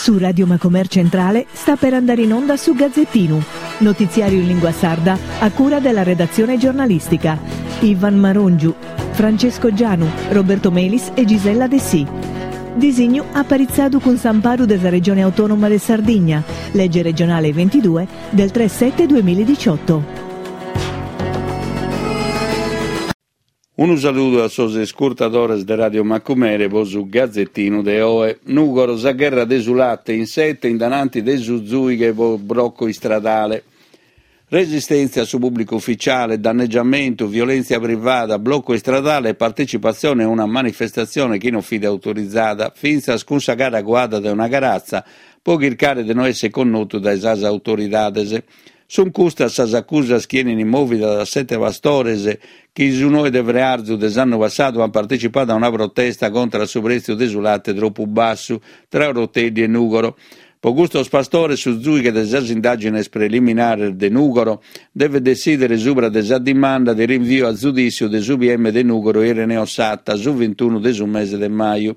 Su Radio Macomer Centrale sta per andare in onda su Gazzettinu, notiziario in lingua sarda a cura della redazione giornalistica. Ivan Marongiu, Francesco Gianu, Roberto Melis e Gisella Dessì. Disignu aparitzadu cun s'amparu de sa Regione Autonoma de Sardigna, lege regionale 22 del 3 7 2018. Unu saludu a sos iscurtadores de Radio Macumere po su Gazetinu de oe. Nùgoro, sa gherra de su late in sete in dananti de su zuighe po brocco istradale. Resistèntzia a su pùblicu uficiale, dannegiamentu, violèntzia privada, blocu istradale e partecipatzione a una manifestatzione chi non fit autorizada, fintzas cun sa cara cuada dae una caratza, pro chircare de no èssere connotu dae sas autoridades. Sunt custas sas acusas chi 'enint mòvidas a sete pastores chi su noe de frearzu de s'annu passadu ant partecipadu a una protesta contra a su prètziu de su late tropu bassu tra Oroteddi e Nùgoro. Pro custos pastores su zùighe de sas indàgines preliminares de Nùgoro devet detzìdere subra de sa dimanda de rinviu a zudìssiu de su PM de Nùgoro Ireneo Satta su vintunu de su mese de maju.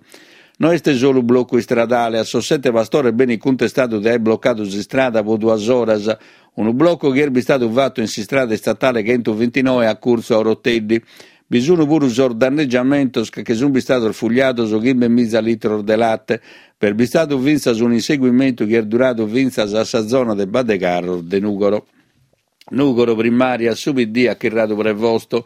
No est solu blocu istradale, a sos sete pastores benit cuntestadu de aer blocadu s'istrada pro duas oras, unu blocu chi est bistadu fatu in s'istrada istatale chentuvintinoe a curtzu a Oroteddi. Bi sun puru sos dannegiamentos ca che sun bistados fugliados chimbemiza litros de late. B'est bistadu fintzas un'inseguimentu chi est duradu fintzas a sa zona de Baddecarros de Nùgoro. Nùgoro, primàrias, su PD at chirradu Prevosto.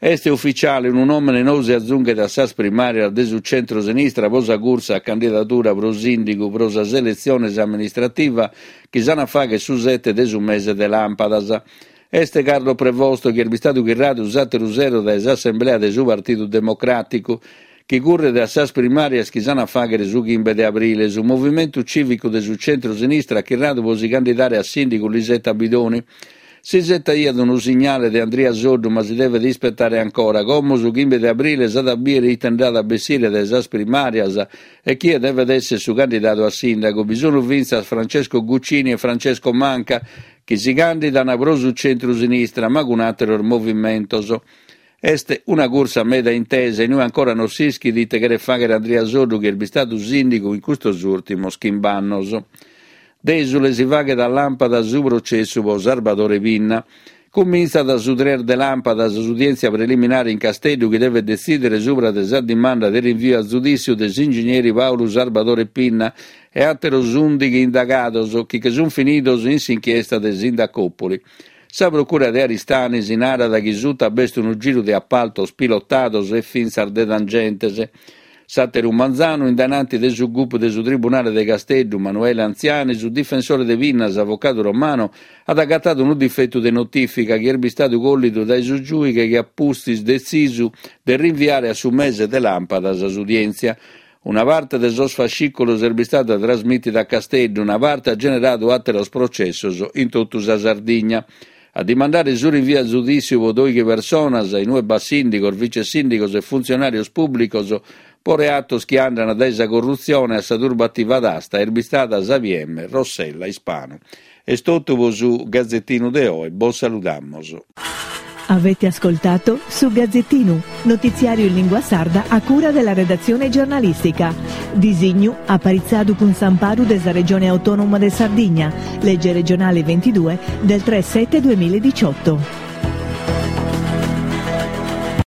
Est uficiale, unu nòmene nou si azunghet a sas primàrias de su centru-sinistra pro sa cursa a candidadura pro sìndigu pro sas eletziones amministrativas chi s'an a fàghere su sete de su mese de làmpadas. Est Carlo Prevosto chi est bistadu chirradu s'àteru sero dae s'assemblea de su Partidu Democràticu, chi curret a sas primàrias chi s'an a fàghere su chimbe de abrile. Su Movimentu Cìvicu de su centru-sinistra at chirradu pro si candidare a sìndigu Lisetta Bidoni. Si isetaiat unu signale de Andria Soddu ma si devet ispetare ancora. Como su chimbe de abrile s'at a bìdere ite nd'at a bessire dae sas primàrias e chie devet èssere su candidadu a sìndagu. Bi sunt fintzas Francesco Guccini e Francesco Manca chi si càndidan pro su centru-sinistra ma cun àteros movimentos. Est una cursa meda intesa in ue ancora non s'ischit ite cheret fàghere Andria Soddu chi est bistadu sìndigu in custos ùrtimos chimb'annos. Dèsule si faghet a làmpadas su processu pro Sarbadore Pinna. Cumintzat su tres de làmpadas s'udièntzia preliminare in Casteddu chi devet detzìdere subra de sa dimanda de rinviu a zudìssiu de s'ingigneri Pàulu Sarbadore Pinna e àteros ùndighi indagados chi che sunt finidos in s'inchiesta de Sindacòpoli. Sa Procura de Aristanis narat chi suta b'est unu giru de apaltos pilotados e fintzas de tangentes. S'àteru manzanu, in dainanti de su gup de su Tribunale de Casteddu, Manuele Anziani, su difensore de Pinna, s'avocadu Romano, at agatadu unu difetu de notìfica chi est bistadu collidu dae su giùighe chi at pustis detzisu de rinviare a su mese de làmpadas s'udièntzia. Una parte de sos fascìculos est bistada trasmìtida a Casteddu, una parte at generadu àteros processos in totu sa Sardigna. A dimandare su rinviu a zudìssiu pro dòighi personas, in ue b'at sìndigos, vice-sìndigos e funtzionàrios pùblicos, pro reatos chi andant dae sa corrutzione a sa turbativa d'asta, est bistada sa PM Rossella Ispanu. Est totu pro su Gazetinu de oe, bos saludamos. Avete ascoltato Su Gazzettinu, notiziario in lingua sarda a cura della redazione giornalistica. Disignu aparitzadu cun s'amparu de sa Regione Autonoma de Sardigna, legge regionale 22 del 3 7 2018.